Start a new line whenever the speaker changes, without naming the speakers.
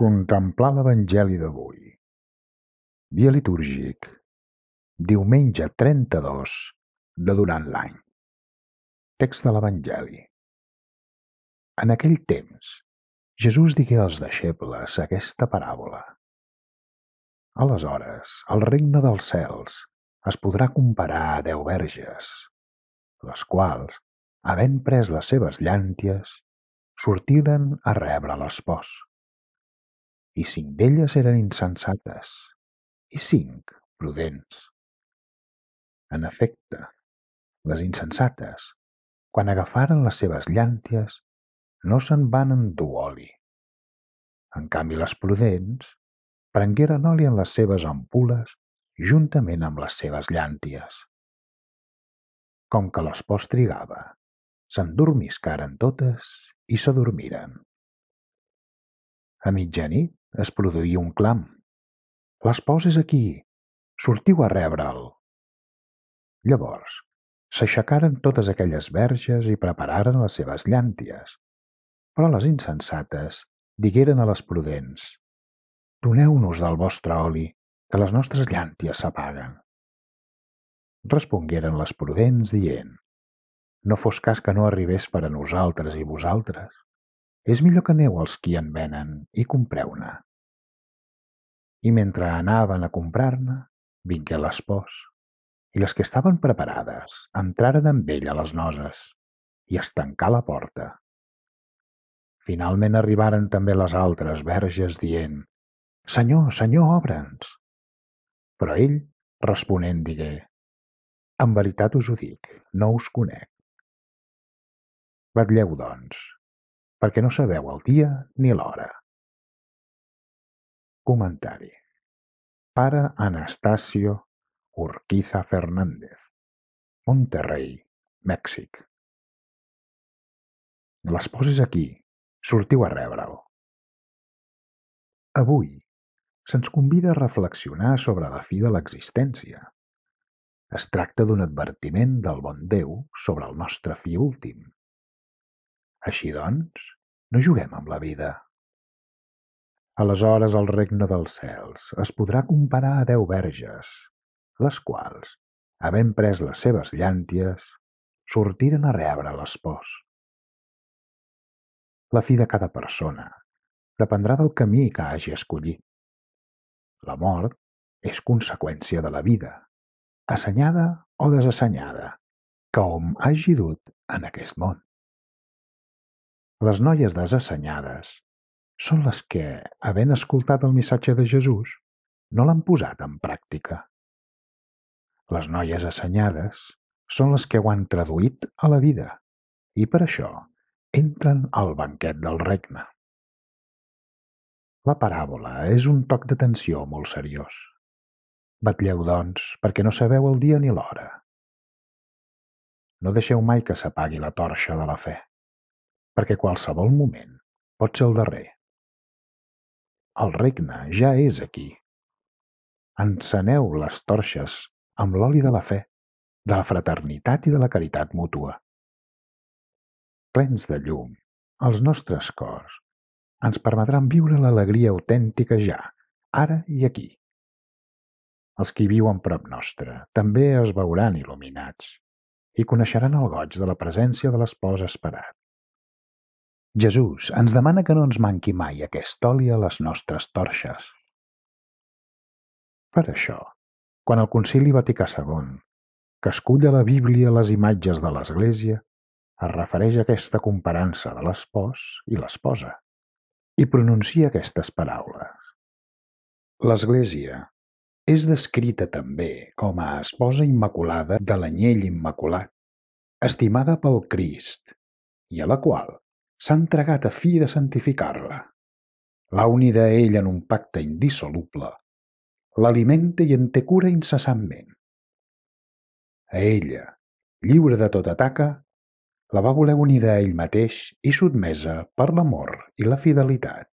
Contemplar l'Evangeli d'avui. Dia litúrgic. Diumenge 32 de durant l'any. Text de l'Evangeli. En aquell temps, Jesús digué als deixebles aquesta paràbola. Aleshores, el regne dels cels es podrà comparar a 10 verges, les quals, havent pres les seves llànties, sortiren a rebre l'espòs. I 5 d'elles eren insensates, i 5 prudents. En efecte, les insensates, quan agafaren les seves llànties, no se'n van endur oli. En canvi, les prudents prengueren oli en les seves ampul·les juntament amb les seves llànties. Com que l'espòs trigava, s'endormiscaren totes i s'adormiren. A mitjanit es produí un clam. L'espòs és aquí, sortiu a rebre'l. Llavors, s'aixecaren totes aquelles verges i prepararen les seves llànties, però les insensates digueren a les prudents: «Doneu-nos del vostre oli, que les nostres llànties s'apaguen». Respongueren les prudents dient: «No fos cas que no arribés per a nosaltres i vosaltres. És millor que aneu als qui en venen i compreu-ne». I mentre anaven a comprar-ne, vingué l'espòs, i les que estaven preparades entraren amb ell a les noces, i es tancà la porta. Finalment arribaren també les altres verges dient: «Senyor, Senyor, obre'ns». Però ell, responent, digué: «En veritat us ho dic, no us conec. Vetlleu, doncs, perquè no sabeu el dia ni l'hora». Comentari. Pare Anastasio Urquiza Fernández, Monterrey, Mèxic. L'espòs és aquí, sortiu a rebre'l. Avui se'ns convida a reflexionar sobre la fi de l'existència. Es tracta d'un advertiment del bon Déu sobre el nostre fi últim. Així doncs, no juguem amb la vida. Aleshores el regne dels cels es podrà comparar a 10 verges, les quals, havent pres les seves llànties, sortiren a rebre l'espòs. La fi de cada persona dependrà del camí que hagi escollit. La mort és conseqüència de la vida, assenyada o desassenyada, que hom hagi dut en aquest món. Les noies desassenyades són les que, havent escoltat el missatge de Jesús, no l'han posat en pràctica. Les noies assenyades són les que ho han traduït a la vida i per això entren al banquet del regne. La paràbola és un toc d'atenció molt seriós. Vetlleu, doncs, perquè no sabeu el dia ni l'hora. No deixeu mai que s'apagui la torxa de la fe, perquè qualsevol moment pot ser el darrer. El regne ja és aquí. Enceneu les torxes amb l'oli de la fe, de la fraternitat i de la caritat mútua. Plens de llum, els nostres cors ens permetran viure l'alegria autèntica ja, ara i aquí. Els qui viuen prop nostre també es veuran il·luminats i coneixeran el goig de la presència de l'espòs esperat. Jesús ens demana que no ens manqui mai aquest oli a les nostres torxes. Per això, quan el Concili Vaticà II, que escull a la Bíblia les imatges de l'Església, es refereix a aquesta comparança de l'espòs i l'esposa i pronuncia aquestes paraules. L'Església és descrita també com a esposa immaculada de l'anyell immaculat, estimada pel Crist, i a la qual s'ha entregat a fi de santificar-la. L'ha unida a ell en un pacte indissoluble, l'alimenta i en té cura incessantment. A ella, lliure de tota taca, la va voler unida a ell mateix i sotmesa per l'amor i la fidelitat.